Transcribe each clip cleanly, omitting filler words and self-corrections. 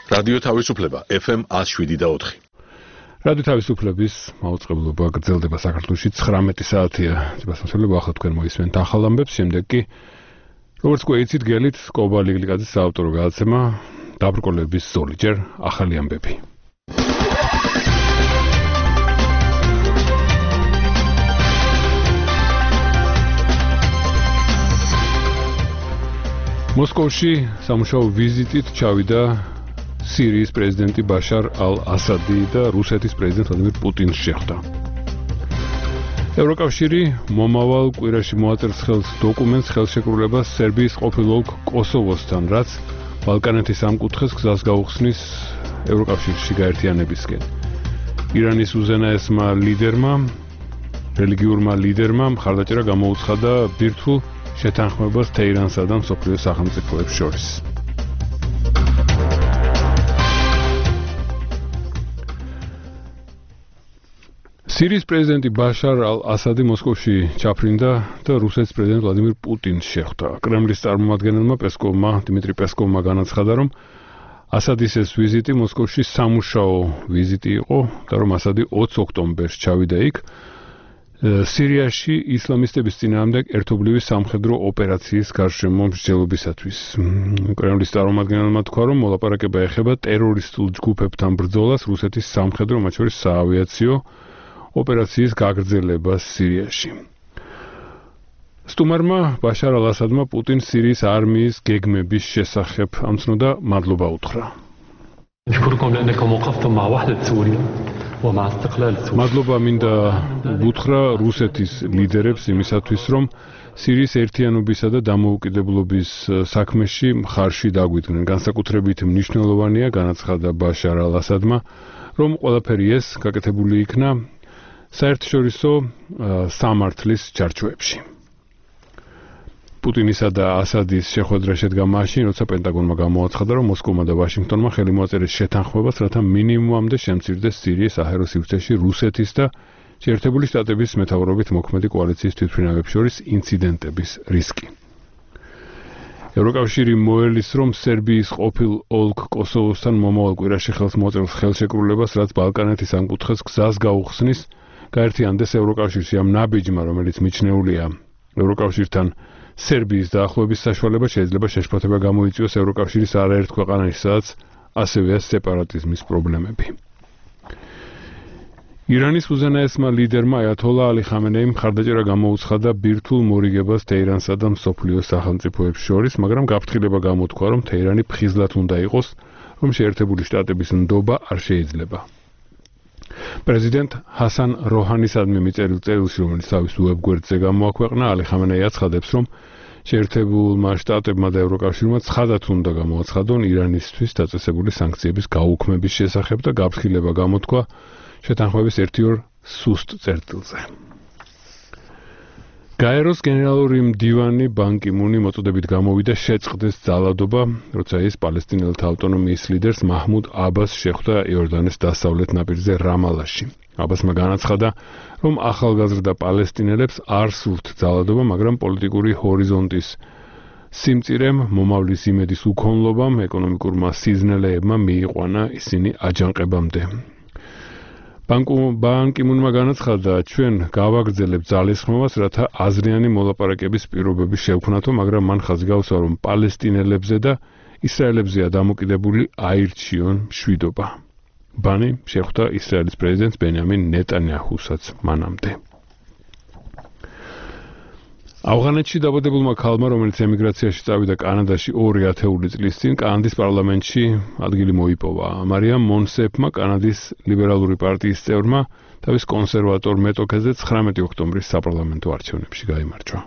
რადიო თავისუფლება FM 107.4. რადიო თავისუფლების მაუწყებლობა გრძელდება საქართველოში 19 საათია. ძებასმოსილება ახლა თქვენ მოისმენთ ახალ ამბებს, შემდეგ კი როგორც გვეიცით გელით კობალი გლიკაძის საავტორო გადაცემა დაბრკოლების ზოლი, ჯერ ახალი ამბები. მოსკოვში სამუშაო ვიზიტით ჩავიდა სირიის პრეზიდენტი ბაშარ ალ-ასადი და რუსეთის პრეზიდენტ ვლადიმირ პუტინს შეხვდა. ევროკავშირი მომავალ კვირაში მოაწერს ხელს დოკუმენტს ხელშეკრულებას სერბიის ყოფილ ოლქ კოსოვოსთან, რაც ბალკანეთის ამ კუთხეს გზას გაუხსნის ევროკავშირში გაერთიანებისკენ. ირანის უზენაესმა ლიდერმა, რელიგიურმა ლიდერმა მხარდაჭერა გამოუცხადა ბირთვულ შეთანხმებას თეირანსა და მსოფლიო სახელმწიფოებს შორის. სირიის პრეზიდენტი ბაშარ ალ-ასადი მოსკოვში ჩაფრინდა და რუსეთის პრეზიდენტ ვლადიმირ პუტინს შეხვდა. კრემლის წარმომადგენელმა დიმიტრი პესკოვმა განაცხადა, რომ ასადის ეს ვიზიტი მოსკოვში სამუშაო ვიზიტი იყო და რომ ასადი 20 ოქტომბერს ჩავიდა იქ სირიაში ისლამისტების წინააღმდეგ ერთობლივი სამხედრო ოპერაციის გარშემო მსჯელობისათვის. კრემლის წარმომადგენელმა თქვა, რომ მოლაპარაკება ეხება ტერორისტულ ჯგუფებთან ბრძოლას რუსეთის სამხედრო, მათ შორის საავიაციო ოპერაციის გაგრძელებას სირიაში. სტუმარმა ბაშარ ალ-ასადმა პუტინს სირიის არმიის გეგმების შესახებ ამცნო და მადლობა უთხრა. მადლობა მინდა უთხრა რუსეთის ლიდერებს იმისათვის, რომ სირიის ერთიანობისა და დამოუკიდებლობის საქმეში მხარში დაგვიდგნენ. განსაკუთრებით მნიშვნელოვანია, განაცხადა ბაშარ ალ-ასადმა, რომ ყველაფერი ეს გაკეთებული იქნა საერთაშორისო სამართლის ჩარჩოებში. პუტინისა და ასადის შეხვედრა შედგა მაშინ, როცა პენტაგონმა გამოაცხადა, რომ მოსკოვმა და ვაშინგტონმა ხელი მოაწერეს შეთანხმებას, რათა მინიმუმამდე შემცირდეს სირიის საჰაერო სივრცეში რუსეთის და შეერთებული შტატების მეთაურობით მოქმედი კოალიციის თვითმფრინავებს შორის ინციდენტების რისკი. ევროკავშირი მოელის, რომ სერბიის ყოფილ ოლქ კოსოვოსთან მომავალ კვირაში ხელს მოაწერს ხელშეკრულებას, რაც ბალკანეთის ამ კუთხეს გზას გაუხსნის გაერთიანდეს ევროკავშირში ამ ნაბიჯმა, რომელიც მიჩნეულია ევროკავშირთან სერბიის დაახლოების საშუალება შეიძლება შეშფოთება გამოიწვიოს ევროკავშირის არაერთ ქვეყანაში, სადაც ასევეა სეპარატიზმის პრობლემები. ირანის უზენაესმა ლიდერმა აიათოლა ალი ხამენეიმ მხარდაჭერა გამოუცხადა ბირთვულ მორიგებას თეირანსა და მსოფლიო სახელმწიფოებს შორის, მაგრამ გაფრთხილება გამოთქვა, რომ თეირანი ფხიზლად უნდა იყოს, რომ შეერთებული შტატების ნდობა არ შეიძლება. პრეზიდენტ ჰასან როჰანისადმი მიწერილ წერილში, რომელიც თავის უებგვერდზე გამოაქვეყნა, ალი ხამენეი აცხადებს, რომ შეერთებულმა შტატებმა და ევროკავშირმა ცხადად უნდა გამოაცხადონ ირანისთვის დაწესებული სანქციების გაუქმების შესახებ და გაფრთხილება გამოთქვა შეთანხმების 1-2 სუსტ წერტილზე. გაეროს გენერალური მდივანი ბან კი მუნი მოწოდებით გამოვიდა შეწყდეს ძალადობა, როცა ის პალესტინელთა ავტონომიის ლიდერს მაჰმუდ აბას შეხვდა იორდანეს დასავლეთ ნაპირზე რამალაში. აბასმა განაცხადა, რომ ახალგაზრდა პალესტინელებს არ სურთ ძალადობა, მაგრამ პოლიტიკური ჰორიზონტის სიმწირემ, მომავლის იმედის უქონლობამ, ეკონომიკურმა სიზნელეებმა მიიყვანა ისინი აჯანყებამდე. ბან კი მუნმა განაცხადა, ჩვენ გავაგრძელებთ ძალისხმევას, რათა აზრიანი მოლაპარაკების პირობები შევქმნათო, მაგრამ მან ხაზი გაუსვა, რომ პალესტინელებზე და ისრაელებზეა დამოკიდებული აირჩიონ მშვიდობა. ბანი შეხვდა ისრაელის პრეზიდენტს ბენიამინ ნეტანიაჰუსაც მანამდე. ავღანეთში დაბადებულმა ქალმა, რომელიც ემიგრაციაში წავიდა კანადაში 2 ათეული წლის წინ, კანადის პარლამენტში ადგილი მოიპოვა. მარიამ მონსეფმა, კანადის ლიბერალური პარტიის წევრმა, თავის კონსერვატორ მეტოქეზე 19 ოქტომბრის საპარლამენტო არჩევნებში გაიმარჯვა.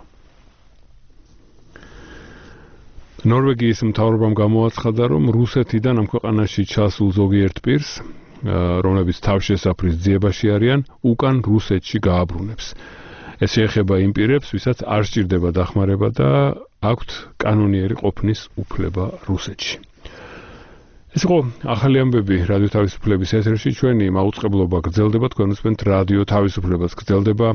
ნორვეგიის მთავრობამ გამოაცხადა, რომ რუსეთიდან ამ ქვეყანაში ჩასულ ზოგიერთ პირს, რომლებიც თავშესაფრის ძიებაში არიან, უკან რუსეთში გააბრუნებს. ეს შეეხება იმ პირებს, ვისაც არ სჭირდება დახმარება და აქვთ კანონიერი ყოფნის უფლება რუსეთში. ეს იყო ახალი ამბები რადიო თავისუფლების ეთერში. ჩვენი მაუწყებლობა გრძელდება, თქვენ უსმენთ რადიო თავისუფლებას, გრძელდება